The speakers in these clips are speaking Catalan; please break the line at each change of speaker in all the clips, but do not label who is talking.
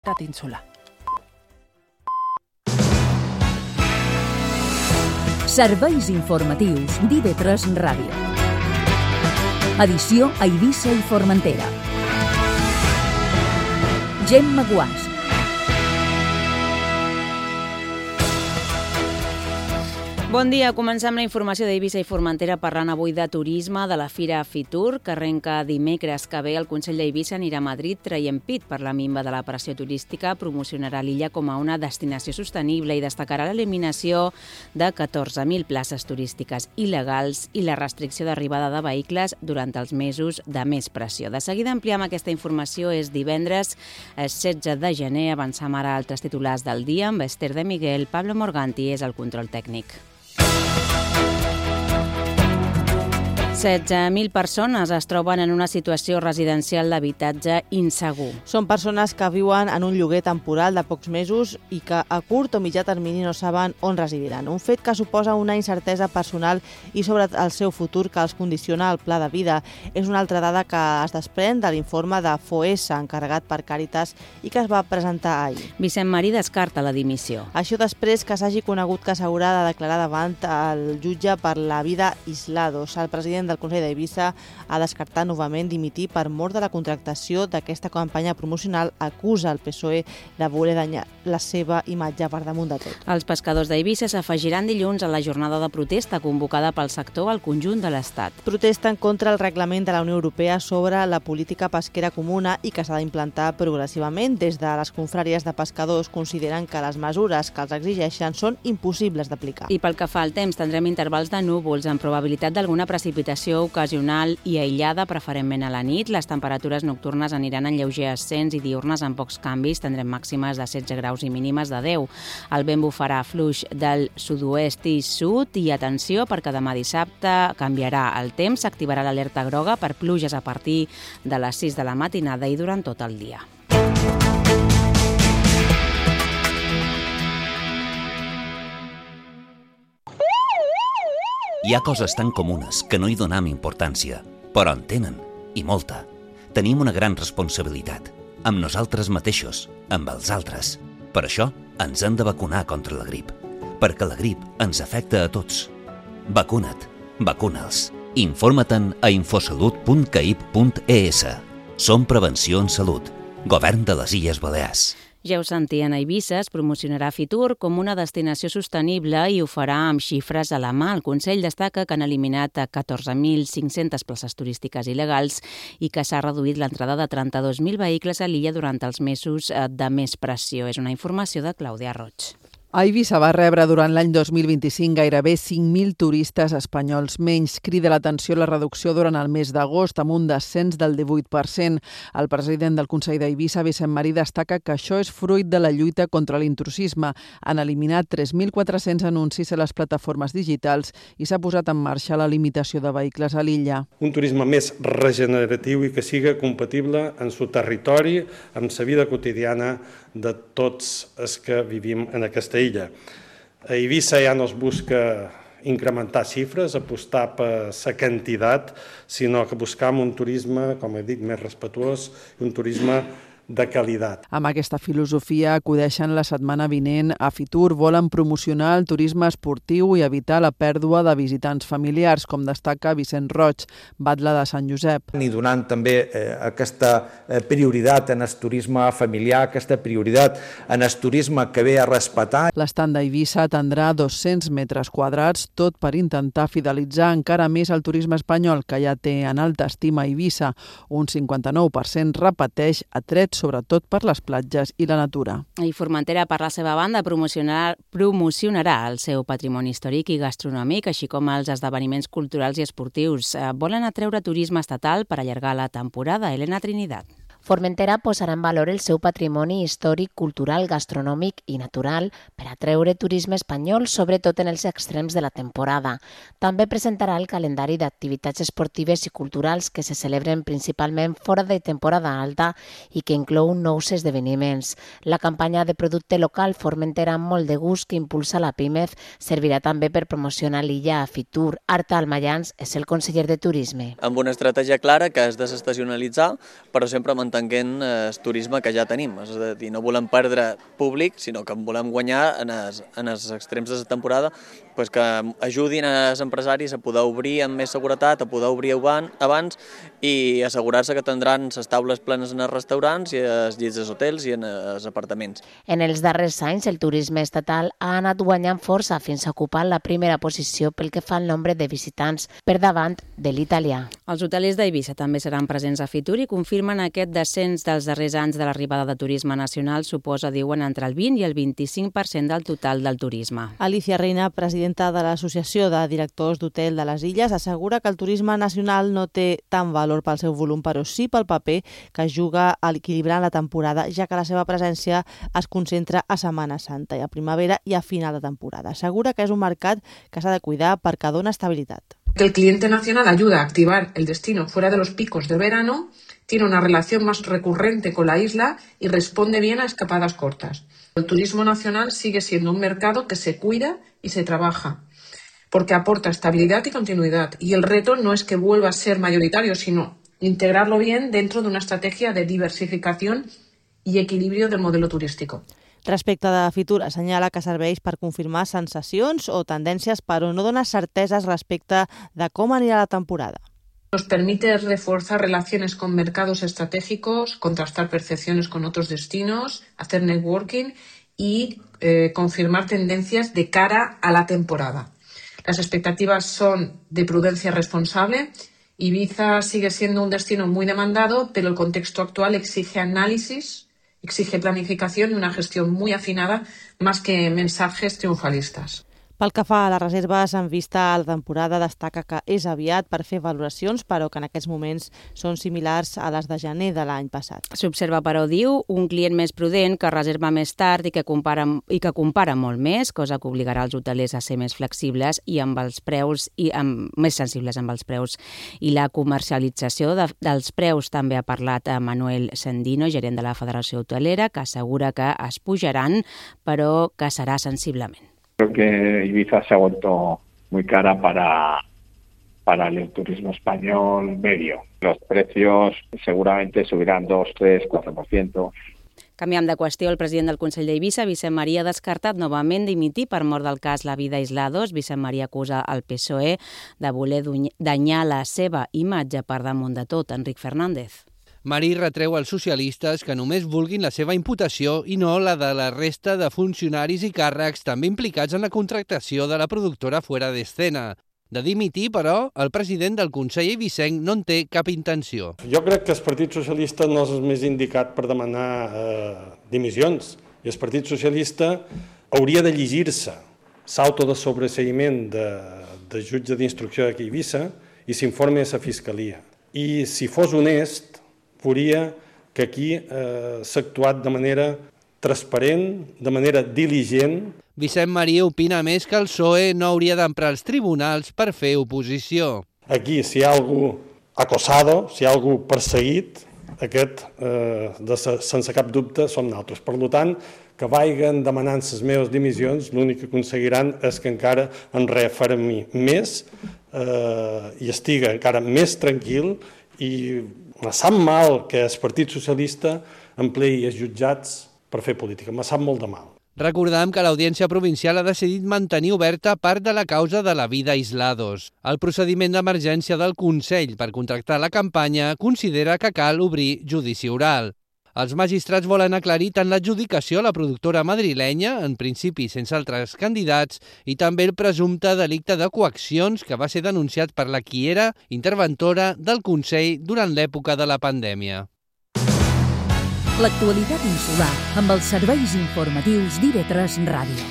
Insular.
Serveis informatius d'IV3 Ràdio. Edició a Eivissa i Formentera. Gemma Guàs.
Bon dia, comencem la informació d'Eivissa i Formentera parlant avui de turisme, de la Fira Fitur, que arrenca dimecres que ve. El Consell d'Eivissa anirà a Madrid traient pit per la minva de la pressió turística, promocionarà l'illa com a una destinació sostenible i destacarà l'eliminació de 14.000 places turístiques il·legals i la restricció d'arribada de vehicles durant els mesos de més pressió. De seguida ampliem aquesta informació. És divendres 16 de gener. Avancem ara a altres titulars del dia amb Esther de Miguel. Pablo Morganti és el control tècnic. 16.000 persones es troben en una situació residencial d'habitatge insegur.
Són persones que viuen en un lloguer temporal de pocs mesos i que a curt o mitjà termini no saben on residiran. Un fet que suposa una incertesa personal i sobre el seu futur que els condiciona el pla de vida. És una altra dada que es desprèn de l'informe de FOESA, encarregat per Càritas i que es va presentar ahir.
Vicent Marí descarta la dimissió.
Això després que s'hagi conegut que s'haurà de declarar davant el jutge per la vida Islados. El president del Consell d'Eivissa ha descartat novament dimitir per mor de la contractació d'aquesta campanya promocional. Acusa el PSOE de voler danyar la seva imatge per damunt de tot.
Els pescadors d'Eivissa s'afegiran dilluns a la jornada de protesta convocada pel sector al conjunt de l'Estat.
Protesten contra el reglament de la Unió Europea sobre la política pesquera comuna i que s'ha d'implantar progressivament. Des de les confraries de pescadors consideren que les mesures que els exigeixen són impossibles d'aplicar.
I pel que fa al temps, tindrem intervals de núvols amb probabilitat d'alguna precipitació ocasional i aïllada, preferentment a la nit. Les temperatures nocturnes aniran en lleuger ascens i diurnes amb pocs canvis. Tindrem màximes de 16 graus i mínimes de 10. El vent bufarà fluix del sud-oest i sud i atenció perquè demà dissabte canviarà el temps. S'activarà l'alerta groga per pluges a partir de les 6 de la matinada i durant tot el dia.
Hi ha coses tan comunes que no hi donem importància, però en tenen, i molta. Tenim una gran responsabilitat, amb nosaltres mateixos, amb els altres. Per això ens hem de vacunar contra la grip, perquè la grip ens afecta a tots. Vacuna't, vacuna'ls. Informa-te'n a infosalut.caip.es. Som Prevenció en Salut, Govern de les Illes Balears.
Ja ho sentien, a Eivissa es promocionarà Fitur com una destinació sostenible i ho farà amb xifres a la mà. El Consell destaca que han eliminat 14.500 places turístiques il·legals i que s'ha reduït l'entrada de 32.000 vehicles a l'illa durant els mesos de més pressió. És una informació de Clàudia Roig.
A Eivissa va rebre durant l'any 2025 gairebé 5.000 turistes espanyols menys. Crida l'atenció la reducció durant el mes d'agost amb un descens del 18%. El president del Consell d'Eivissa, Vicent Marí, destaca que això és fruit de la lluita contra l'intrusisme. Han eliminat 3.400 anuncis a les plataformes digitals i s'ha posat en marxa la limitació de vehicles a l'illa.
Un turisme més regeneratiu i que siga compatible en su territori, amb la vida quotidiana de tots els que vivim en aquesta illa. A Eivissa ja no es busca incrementar xifres, apostar per la quantitat, sinó que buscam un turisme, com he dit, més respetuós i un turisme de qualitat.
Amb aquesta filosofia acudeixen la setmana vinent a Fitur. Volen promocionar el turisme esportiu i evitar la pèrdua de visitants familiars, com destaca Vicent Roig, batlle de Sant Josep.
I donant també aquesta prioritat en el turisme familiar, aquesta prioritat en el turisme que ve a respetar.
L'estand d'Eivissa atendrà 200 metres quadrats, tot per intentar fidelitzar encara més el turisme espanyol, que ja té en alta estima Eivissa. Un 59% repeteix atrets sobretot per les platges i la natura.
I Formentera, per la seva banda, promocionarà el seu patrimoni històric i gastronòmic, així com els esdeveniments culturals i esportius. Volen atreure turisme estatal per allargar la temporada. Elena Trinidad.
Formentera posarà en valor el seu patrimoni històric, cultural, gastronòmic i natural per atreure turisme espanyol, sobretot en els extrems de la temporada. També presentarà el calendari d'activitats esportives i culturals que se celebren principalment fora de temporada alta i que inclou nous esdeveniments. La campanya de producte local Formentera amb molt de gust que impulsa la PIMEF servirà també per promocionar l'illa a Fitur. Arta Almayans és el conseller de Turisme.
Amb una estratègia clara que és desestacionalitzar, però sempre mantenir desatenguent el turisme que ja tenim. És a dir, no volem perdre públic, sinó que volem guanyar en els extrems de la temporada, que ajudin als empresaris a poder obrir amb més seguretat, a poder obrir abans i assegurar-se que tindran les taules plenes en els restaurants i els llits dels hotels i en els apartaments.
En els darrers anys, el turisme estatal ha anat guanyant força fins a ocupar la primera posició pel que fa al nombre de visitants, per davant de l'italià.
Els hotelers d'Eivissa també seran presents a Fitur i confirmen aquest descens dels darrers anys de l'arribada de turisme nacional suposa, diuen, entre el 20 i el 25% del total del turisme.
Alicia Reina, presidenta de l'Associació de Directors d'Hotel de les Illes, assegura que el turisme nacional no té tant valor pel seu volum, però sí pel paper que juga a equilibrar la temporada, ja que la seva presència es concentra a Setmana Santa i a primavera i a final de temporada. Assegura que és un mercat que s'ha de cuidar perquè dona estabilitat.
Que el cliente nacional ayuda a activar el destino fuera de los picos de verano, tiene una relación más recurrente con la isla y responde bien a escapadas cortas. El turismo nacional sigue siendo un mercado que se cuida y se trabaja, porque aporta estabilidad y continuidad. Y el reto no es que vuelva a ser mayoritario, sino integrarlo bien dentro de una estrategia de diversificación i equilibri del modelo turístico.
Respecte de Fitur, assenyala que serveix per confirmar sensacions o tendències, però no dona certeses respecte de com anirà la temporada.
Nos permite reforzar relaciones con mercados estratégicos, contrastar percepciones con otros destinos, hacer networking y confirmar tendencias de cara a la temporada. Las expectativas son de prudencia responsable. Ibiza sigue siendo un destino muy demandado, pero el contexto actual exige análisis, exige planificación y una gestión muy afinada, más que mensajes triunfalistas.
Pel que fa a les reserves en vista a la temporada, destaca que és aviat per fer valoracions, però que en aquests moments són similars a les de gener de l'any passat.
S'observa, però, diu, un client més prudent que reserva més tard i que compara molt més, cosa que obligarà els hotelers a ser més flexibles i amb els preus més sensibles amb els preus. I la comercialització dels preus també ha parlat a Manuel Sendino, gerent de la Federació Hotelera, que assegura que es pujaran, però que serà sensiblement.
Creo que Ibiza se ha vuelto muy cara para el turismo español medio. Los precios seguramente subirán 2, 3, 4%.
Canviant de qüestió, el president del Consell d'Eivissa, Vicent Maria, ha descartat novament dimitir per mort del cas La Vida Aislados. Vicent Maria acusa el PSOE de voler danyar la seva imatge per damunt de tot. Enric Fernández.
Marí retreu als socialistes que només vulguin la seva imputació i no la de la resta de funcionaris i càrrecs també implicats en la contractació de la productora Fuera de Escena. De dimitir, però, el president del Consell eivissenc no en té cap intenció.
Jo crec que el Partit Socialista no és el més indicat per demanar dimissions. I el Partit Socialista hauria de llegir-se l'auto de sobreseïment de jutge d'instrucció d'aquí a Eivissa i s'informe a la Fiscalia. I si fos honest, veuria que aquí s'ha actuat de manera transparent, de manera diligent.
Vicent Maria opina més que el PSOE no hauria d'emprar els tribunals per fer oposició.
Aquí, si hi ha algú acosado, si hi ha algú perseguit, aquest, sense cap dubte, som nosaltres. Per tant, que vagin demanant les meves dimissions, l'únic que aconseguiran és que encara em refermi més i estigui encara més tranquil i me sap mal que el Partit Socialista empleï els jutjats per fer política. Me sap molt de mal.
Recordem que l'Audiència Provincial ha decidit mantenir oberta part de la causa de La Vida Aislados. El procediment d'emergència del Consell per contractar la campanya considera que cal obrir judici oral. Els magistrats volen aclarir tant l'adjudicació a la productora madrilenya, en principi sense altres candidats, i també el presumpte delicte de coaccions que va ser denunciat per la qui era interventora del Consell durant l'època de la pandèmia.
L'actualitat insular amb els serveis informatius d'IV3 Ràdio.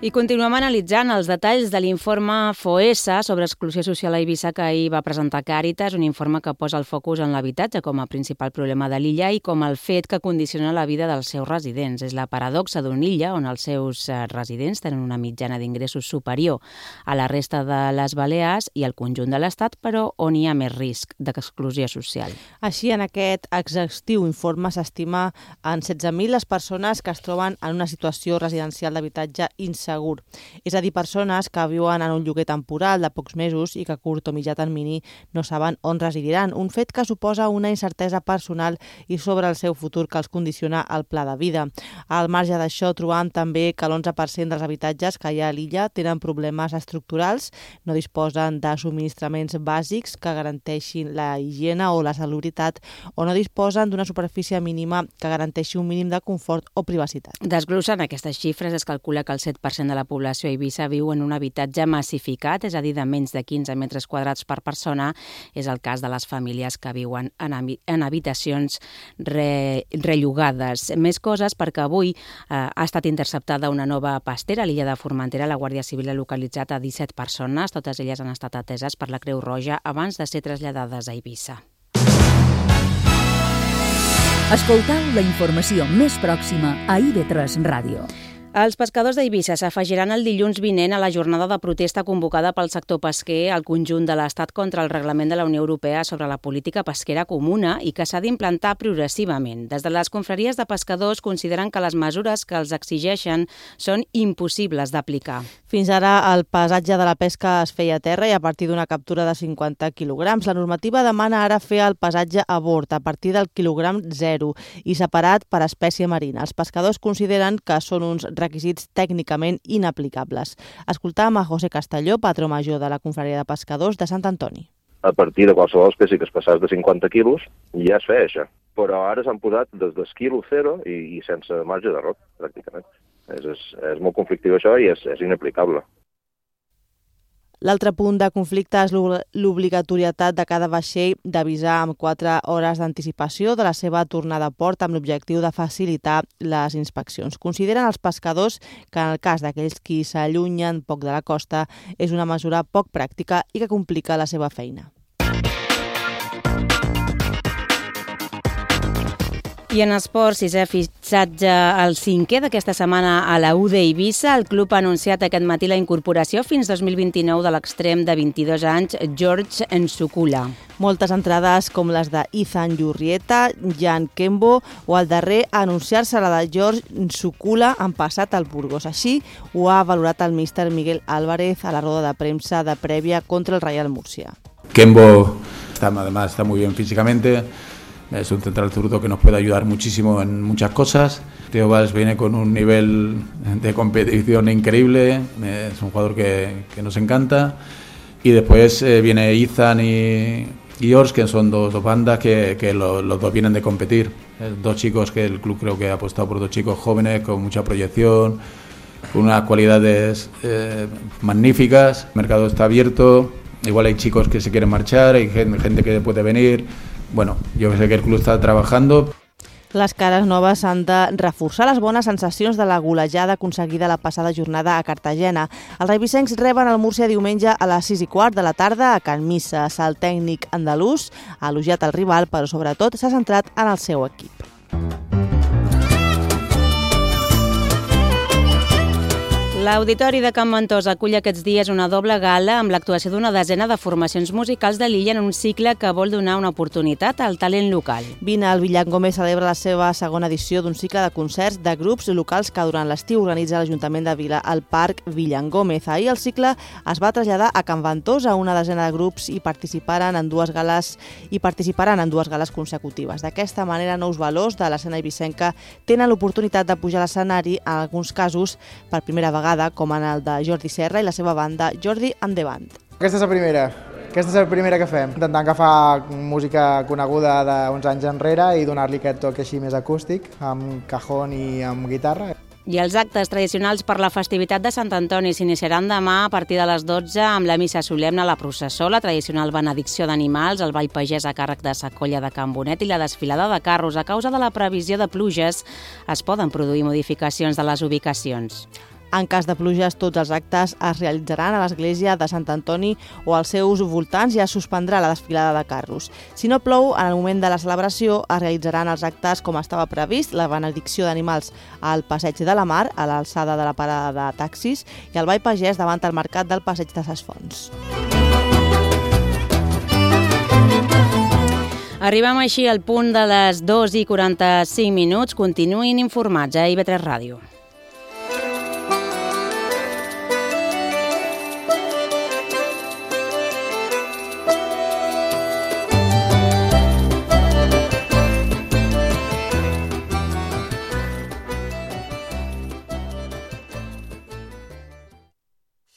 I continuem analitzant els detalls de l'informe FOESA sobre exclusió social a Eivissa que ahir va presentar Càritas, un informe que posa el focus en l'habitatge com a principal problema de l'illa i com el fet que condiciona la vida dels seus residents. És la paradoxa d'una illa on els seus residents tenen una mitjana d'ingressos superior a la resta de les Balears i al conjunt de l'Estat, però on hi ha més risc d'exclusió social.
Així, en aquest exhaustiu informe s'estima en 16.000 les persones que es troben en una situació residencial d'habitatge insegur segur. És a dir, persones que viuen en un lloguer temporal de pocs mesos i que a curt o mitjà termini no saben on residiran, un fet que suposa una incertesa personal i sobre el seu futur que els condiciona el pla de vida. Al marge d'això, trobam també que l'11% dels habitatges que hi ha a l'illa tenen problemes estructurals, no disposen de subministraments bàsics que garanteixin la higiene o la salubritat o no disposen d'una superfície mínima que garanteixi un mínim de confort o privacitat.
Desglossant aquestes xifres, es calcula que el 7% de la població a Eivissa viu en un habitatge massificat, és a dir, de menys de 15 metres quadrats per persona. És el cas de les famílies que viuen en habitacions rellogades. Més coses perquè avui ha estat interceptada una nova pastera a l'illa de Formentera. La Guàrdia Civil ha localitzat a 17 persones. Totes elles han estat ateses per la Creu Roja abans de ser traslladades a Eivissa.
Escoltau la informació més pròxima a IB3 Ràdio.
Els pescadors d'Eivissa s'afegiran el dilluns vinent a la jornada de protesta convocada pel sector pesquer al conjunt de l'Estat contra el reglament de la Unió Europea sobre la política pesquera comuna i que s'ha d'implantar progressivament. Des de les confraries de pescadors consideren que les mesures que els exigeixen són impossibles d'aplicar.
Fins ara el pesatge de la pesca es feia a terra i a partir d'una captura de 50 quilograms. La normativa demana ara fer el pesatge a bord a partir del quilogram 0 i separat per espècie marina. Els pescadors consideren que són uns requisits tècnicament inaplicables. Escoltàvem a José Castelló, patró major de la confraria de pescadors de Sant Antoni.
A partir de qualsevol espècie que es passés de 50 quilos ja es feia això, però ara s'han posat des del quilo 0 i sense marge d'error, pràcticament. És molt conflictiu això i és inaplicable.
L'altre punt de conflicte és l'obligatorietat de cada vaixell d'avisar amb 4 hores d'anticipació de la seva tornada a port amb l'objectiu de facilitar les inspeccions. Consideren els pescadors que en el cas d'aquells qui s'allunyen poc de la costa és una mesura poc pràctica i que complica la seva feina.
I en esports, sisè fitxatge el 5è d'aquesta setmana a la U d'Eivissa. El club ha anunciat aquest matí la incorporació fins 2029 de l'extrem de 22 anys, George Nsukula.
Moltes entrades com les de Ethan Yurrieta, Jan Kembo o el darrer a anunciar-se la de George Nsukula han passat al Burgos. Així ho ha valorat el míster Miguel Álvarez a la roda de premsa de prèvia contra el Real Murcia.
Kembo además está muy bien físicamente. Es un central zurdo que nos puede ayudar muchísimo en muchas cosas. Theo Valls viene con un nivel de competición increíble, es un jugador que nos encanta. Y después viene Ethan y Ors, que son dos bandas que los dos vienen de competir. Dos chicos que el club creo que ha apostado por dos chicos jóvenes con mucha proyección, con unas cualidades magníficas. El mercado está abierto, igual hay chicos que se quieren marchar, hay gente que puede venir. Bueno, jo sé que el club està treballant.
Les cares noves han de reforçar les bones sensacions de la golejada aconseguida la passada jornada a Cartagena. Els reivissencs reben el Múrcia diumenge a les 6:15 de la tarda a Can Misses. El tècnic andalús ha elogiat el rival, però sobretot s'ha centrat en el seu equip.
L'Auditori de Can Ventós acull aquests dies una doble gala amb l'actuació d'una desena de formacions musicals de l'illa en un cicle que vol donar una oportunitat al talent local.
Vine, el Villangome celebra la seva segona edició d'un cicle de concerts de grups locals que durant l'estiu organitza l'Ajuntament de Vila al Parc Villangómez. Ahir el cicle es va traslladar a Can Ventós a una desena de grups i participaran en dues gales consecutives. D'aquesta manera, nous valors de l'escena eivissenca tenen l'oportunitat de pujar a l'escenari, en alguns casos per primera vegada, com en el de Jordi Serra i la seva banda Jordi and the Band.
Aquesta és la primera que fem, intentant agafar música coneguda d'uns anys enrere i donar-li aquest toc així més acústic, amb cajón i amb guitarra.
I els actes tradicionals per la festivitat de Sant Antoni s'iniciaran demà a partir de les 12 amb la missa solemne, la processó, la tradicional benedicció d'animals, el ball pagès a càrrec de Sa Colla de Can Bonet i la desfilada de carros. A causa de la previsió de pluges es poden produir modificacions de les ubicacions.
En cas de pluges, tots els actes es realitzaran a l'església de Sant Antoni o als seus voltants i es suspendrà la desfilada de carros. Si no plou, en el moment de la celebració es realitzaran els actes com estava previst, la benedicció d'animals al Passeig de la Mar, a l'alçada de la parada de taxis, i el ball pagès davant el mercat del Passeig de Ses Fonts.
Arribem així al punt de les 2:45. Continuïn informats a IB3 Ràdio.